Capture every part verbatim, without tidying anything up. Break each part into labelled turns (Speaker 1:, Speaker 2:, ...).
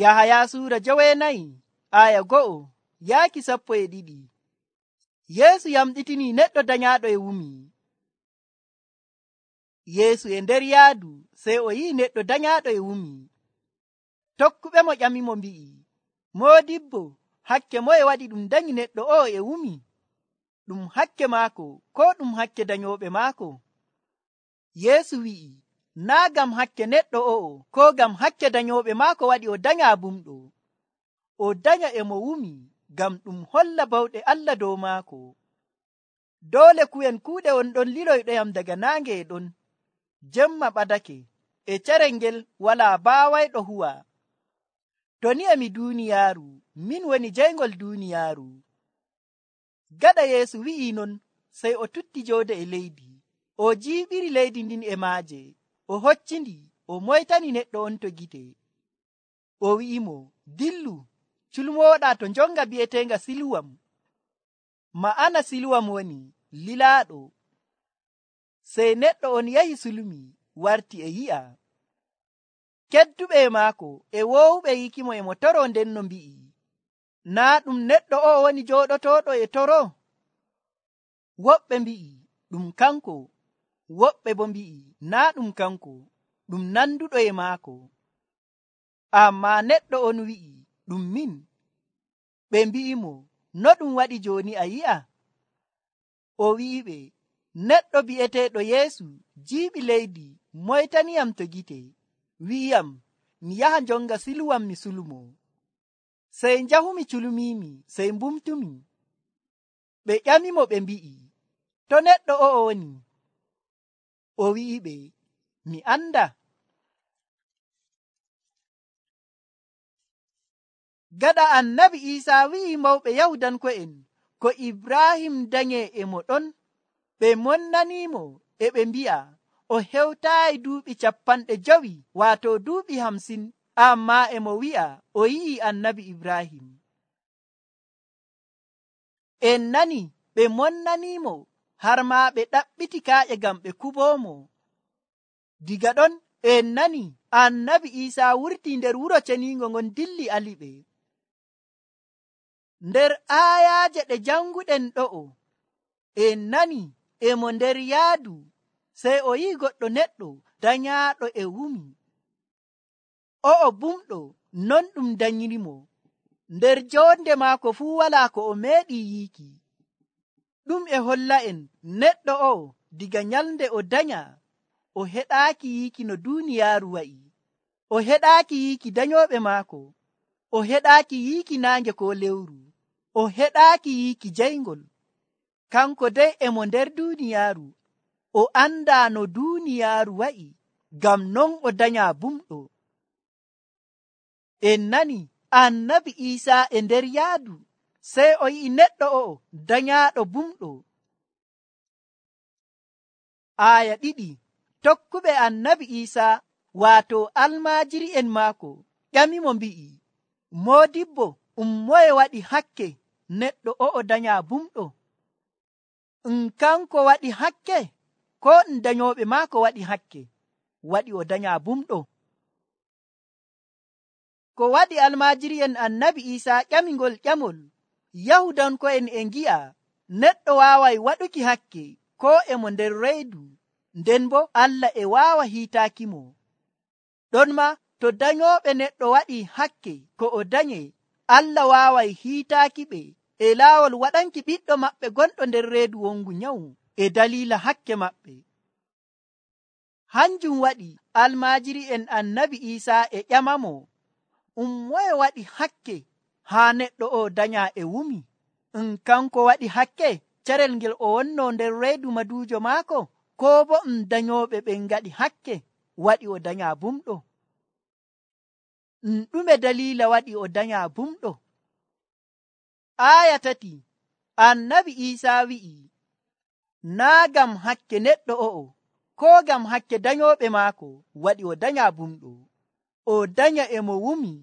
Speaker 1: Yahaya suura joweenayi aya go'o yaaki sappo e ɗiɗi. Yeesu yamɗitini neɗɗo danyaaɗo e wumi. Yeesu e nder yaadu sey o yi'i neɗɗo danyaaɗo e wumi. Tokkuɓe mo ƴamimo mbi'i, Moodibbo, hakke moye waɗi ɗum danyi neɗɗo o'o e wumi? Ɗum hakke maako ko ɗum hakke danyooɓe maako? Yeesu wi'i, naa gam hakke neɗɗo o'o ko gam hakke danyooɓe maako waɗi o danya bumɗo. O danya e mo wumi gam ɗum holla bawɗe Allah dow maako. Doole ku'en kuuɗe on ɗon liloyɗoyam daga naange e ɗon. Jemma ɓadake, e carel ngel walaa baawayɗo huwa. To ni emi duuniyaaru, min woni jeyngol duuniyaaru. Gaɗa Yeesu wi'i non, sey o tutti joode e leydi. O jiiɓiri leydi ndin e maaje. O hoccindi, o moytani neɗɗo on to gite. O wi'imo, dillu, culmooɗaa to njonga bi'eteenga Siluwam. Ma'ana Siluwam woni lilaaɗo. Sey neɗɗo on yahi sulmi, warti e yi'a. Kedduɓe e maako e woowuɓe yikimo e mo toro nden no mbi'i, naa ɗum neɗɗo o woni jooɗotooɗo e toro? Woɓɓe mbi'i, ɗum kanko. Woɓɓe bo mbi'i, naa ɗum kanko, ɗum nanduɗo e maako. Ammaa neɗɗo on wi'i, ɗum min. Ɓe mbi'imo, no ɗum waɗi jooni a yi'a? O wi'iɓe, neɗɗo bi'eteeɗo Yeesu jiiɓi leydi, moytaniyam to gite, wi'iyam mi yaha njonga Siluwam mi sulmo. Sey njahumi culmiimi, sey mbumtumi. Ɓe ƴamimo ɓe mbi'i, to neɗɗo o'o woni? O wi'iɓe, mi anda. Gaɗa annabi Iisaa wi'i mawɓe Yahudanko'en ko Ibrahim danye e mo ɗon, ɓe monnanimo e ɓe mbi'a o hewtaayi duuɓi cappanɗe jowi, waato duuɓi hamsin, ammaa e mo wi'a o yi'i annabi Ibrahim. En nani ɓe monnanimo har ma ɓe ɗaɓɓiti kaaƴe ngam ɓe kuboomo. Diga ɗon en nani annabi Iisaa wurti nder wuro ceniingo ngon dilli aliɓe. Nder aayaaje ɗe janguɗen ɗo'o, en nani e mo nder yaadu, sey o yi'i goɗɗo neɗɗo danyaaɗo e wumi. O'o bumɗo non ɗum danyirimo. Nder joonde maako fuu walaa ko o meeɗi yiiki. Ɗum e holla en neɗɗo o'o diga nyalnde o danya, o heɗaaki yiiki no duuniyaaru wa'i. O heɗaaki yiiki danyooɓe maako. O heɗaaki yiiki naange ko lewru. O heɗaaki yiiki jeyngol. Kanko dey e mo nder duuniyaaru. O andaa no duuniyaaru wa'i, ngam non o danyaa bumɗo. En nani annabi Iisaa e nder yaadu, sey o yi'i neɗɗo o'o danyaaɗo bumɗo. Aaya ɗiɗi. Tokkuɓe annabi Iisaa, waato almaajiri'en maako, ƴamimo mbi'i, Moodibbo, um moye waɗi hakke neɗɗo o'o danyaa bumɗo? Um kanko waɗi hakke, ko um danyooɓe maako waɗi hakke waɗi o danyaa bumɗo? Ko waɗi almaajiri'en annabi Iisaa ƴamingol ƴamol, Yahudanko'en e ngi'a neɗɗo waaway waɗuki hakke ko e mo nder reedu, nden bo Allah e waawa hiitaaki mo. Ɗon ma to danyooɓe neɗɗo waɗi hakke ko o danye, Allah waaway hiitaaki ɓe e laawol waɗanki ɓiɗɗo maɓɓe gonɗo nder reedu wongu nyawu e daliila hakke maɓɓe. Hanjum waɗi almaajiri'en annabi Iisaa e ƴamamo, um moye waɗi hakke haa neɗɗo o danyaa e wumi? Um kanko waɗi hakke carel ngel o wonno nder reedu maduujo maako, ko bo um danyooɓe ɓen ngaɗi hakke waɗi o danyaa bumɗo? Um ɗume daliila waɗi o danyaa bumɗo? Aaya tati. Annabi Iisaa wi'i, naa gam hakke neɗɗo o'o ko gam hakke danyooɓe maako waɗi o danyaa bumɗo. O danya e mo wumi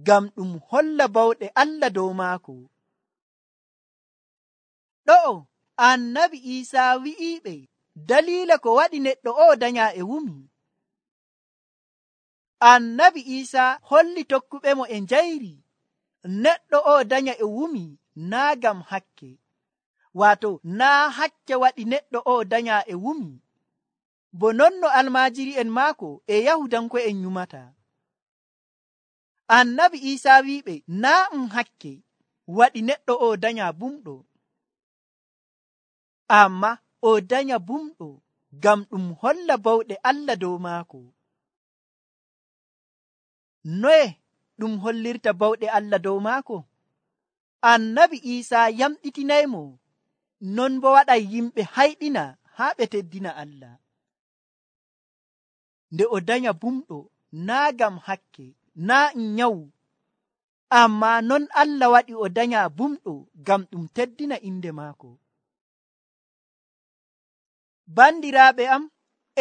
Speaker 1: ngam ɗum holla bawɗe Allah dow maako. Ɗo'o annabi Iisaa wi'iɓe daliila ko waɗi neɗɗo o'o danyaa e wumi. annabi Isa holli tokkuɓe mo e njayri neɗɗo o danya e wumi naa gam hakke, wato naa hakke waɗi neɗɗo o danya e wumi, bo non no almaajiri'en maako e yahudanko'en nyumata. Annabi Isa wi'iɓe naa um hakke waɗi neɗɗo o danya bumɗo, amma o danya bumɗo gam ɗum holla bawɗe Allah dow maako. Noye ɗum hollirta bawɗe Allah dow maako? Annabi Isa yamɗitinaymo, non bo waɗay yimɓe hayɗina haa ɓe teddina Allah. Nde o danya bumɗo naa gam hakke, naa um nyawu, amma non Allah waɗi o danya bumɗo gam ɗum teddina inde maako. Bandiraaɓe am,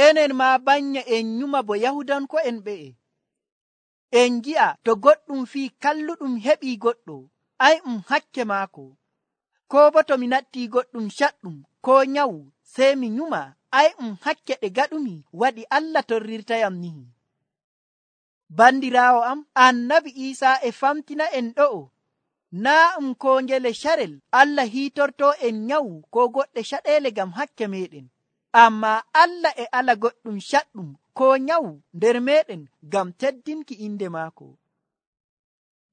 Speaker 1: enen ma banya en nyuma bo yahudanko'en ɓe'e. En gi'a to goɗɗum fii kalluɗum heɓii goɗɗo, ai um hakke maako, ko bo to mi natti goɗɗum shaɗɗum ko nyawu sey mi nyuma, ai um hakke ɗe gaɗumi waɗi Allah torrirtayam ni. Bandiraawo am, annabi Isa e famtina en ɗo'o naa um ko ngele sharel Allah hiitorto en nyawu ko goɗɗe shaɗeele gam hakke meɗen, amma Allah e ala goɗɗum shaɗɗum ko nyawu nder meɗen gam teddinki inde maako.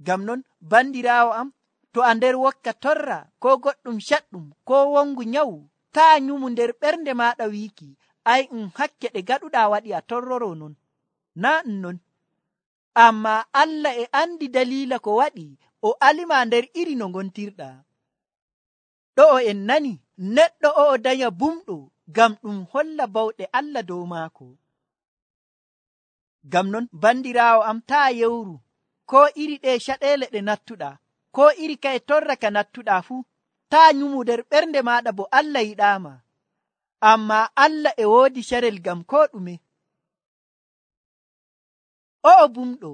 Speaker 1: Gam non bandiraawo am, to a nder wokka torra ko goɗɗum shaɗɗum ko wongu nyawu, taa nyumu nder ɓernde maɗa wiiki ai um hakke ɗe gaɗuɗa waɗi a torroro non. Na ɗum non, amma Allah e andi dalila ko waɗi o alima nder iri no ngontirɗa. Ɗo o en nani neɗɗo o o danya bumɗo gam ɗum holla bawɗe Allah dow maako. Gam non bandiraawo am, taa yewru ko iri ɗe shaɗeele ɗe nattuɗa, ko iri kaye torra ka nattuɗa fuu, taa nyumu nder ɓernde maɗa bo Allah yiɗama, amma Allah e woodi sharel gam ko ɗume. O o bumɗo,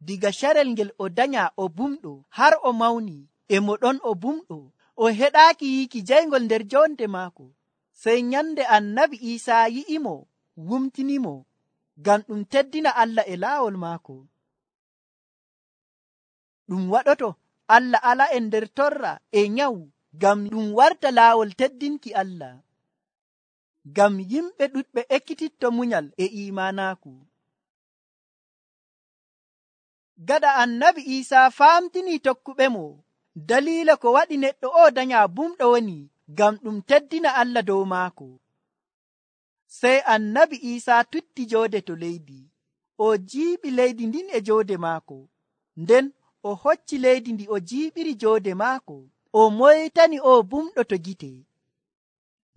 Speaker 1: diga sharel ngel o danya o bumɗo har o mawni e mo ɗon o bumɗo, o heɗaaki yiiki jaygol nder jonde maako. Sey nyande annabi Isa yi'imo, wumtinimo gam ɗum teddina Allah e laawol maako. Ɗum waɗoto Allah ala en nder torra e nyawu gam ɗum warta laawol teddinki Allah, gam yimɓe ɗuɗɓe ekkititto munyal e imanaaku. Gada annabi Isa famtini tokkuɓe mo dalila ko waɗi neɗɗo o danya bumɗo woni gam ɗum teddina Allah dow maako. Sey annabi Isa tutti joode to leydi, o jiiɓi leydi ndin e joode maako, nden o hocci leydi ndi o jiiɓiri joode maako, o moytani o bumɗo to gite.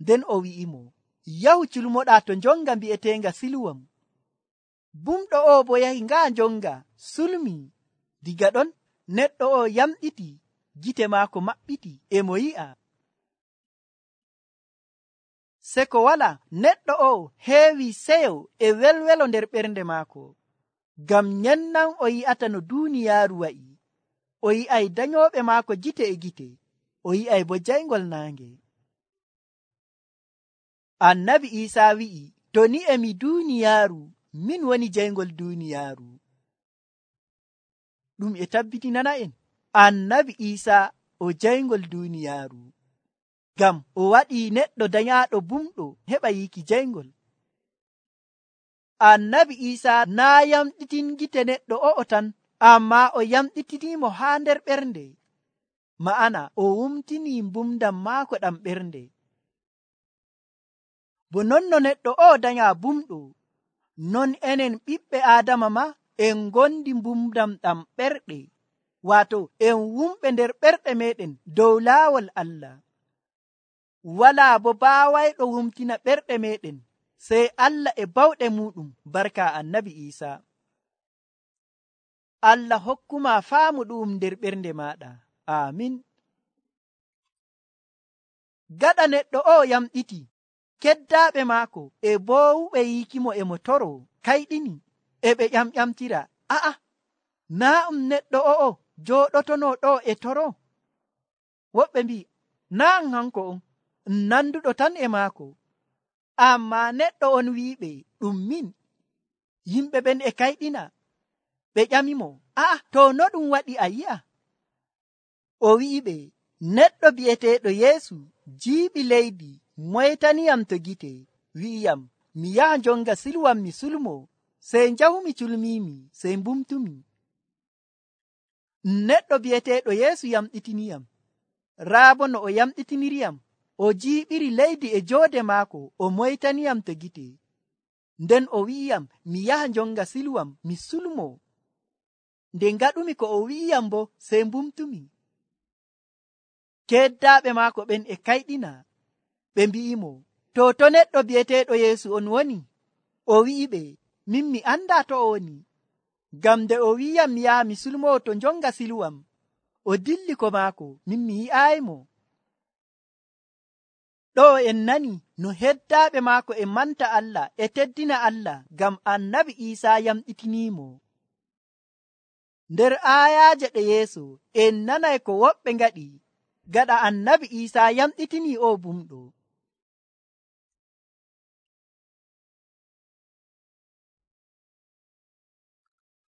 Speaker 1: Nden o wi'imo, yahu culmoɗa to njonga mbi'etenga Siluwam. Bumɗo o bo yahi nga njonga sulmi. Diga ɗon neɗɗo o yamɗiti, gite maako maɓɓiti e mo yi'a. Se ko wala, neɗɗo o heewi seyo e welwelo nder ɓernde maako, gam nyennan o yi'ata no duuniyaaru wa'i. O yi'ay danyooɓe maako gite e gite, o yi'ay bo jaygol naange. Annabi Isa wi'i, to ni emi duuniyaaru, min woni jaygol duuniyaaru. Ɗum e tabbitinana en annabi Isa o jaygol duuniyaaru, gam o waɗi neɗɗo danyaaɗo bumɗo heɓa yiiki jaygol. Annabi Isa naa yamɗitin gite neɗɗo o'o tan, amma o yamɗitinimo haa nder ɓernde, ma'ana o wumtini mbumdam maako ɗam ɓernde. Bo non no neɗɗo o danya bumɗo, non enen ɓiɓɓe Aadama ma en gondi mbumdam ɗam ɓerɗe, wato en wumɓe nder ɓerɗe meɗen dow laawol Allah. Walaa bo baawayɗo wumtina ɓerɗe meɗen sey Allah e bawɗe muɗum barka annabi Isa. Allah hokkuma faamu ɗum nder ɓernde maɗa. Amin. Gaɗa neɗɗo o yamɗiti, keddaaɓe maako e boowuɓe yiikimo e mo toro kayɗini, e ɓe ƴamƴamtira, a'a, naa um neɗɗo o'o jooɗotono ɗo e toro? Woɓɓe mbi, naa um hanko on, um nanduɗo tan e maako. Amma neɗɗo on wi'iɓe, ɗum min. Yimɓe ɓen e kayɗina, Ɓe ƴamimo, aa, to no ɗum waɗi a yi'a? O wi'iɓe, neɗɗo bi'eteeɗo Yeesu jiiɓi leydi, moytaniyam to gite, wi'iyam, mi yaha njonga silwam mi sulmo, sey njahumi culmiimi, sey mbumtumi. Neɗɗo bi'eteeɗo Yeesu yamɗitiniyam. Raa bo no o yamɗitiniriyam, o jiiɓiri leydi e joode maako, o moytaniyam to gite. Nden o wi'iyam, mi yaha njonga silwam mi sulmo. Nde ngaɗumi ko o wi'iyam bo, sey mbumtumi. Keddaaɓe maako ɓen e kayɗina. Ɓe mbi'imo, to to neɗɗo bi'eteeɗo Yeesu on woni? O wi'iɓe, min mi anda to o woni. Ngam nde o wi'iyam mi yaha mi sulmoo to njonga silwam, o dilli ko maako, min mi yi'aayimo. Ɗo en nani no heddaaɓe maako e manta Allah e teddina Allah ngam Annabi Iisaa yamɗitiniimo. Nder aayaaje ɗe yeeso en nanay ko woɓɓe ngaɗi gaɗa Annabi Iisaa yamɗitini o bumɗo.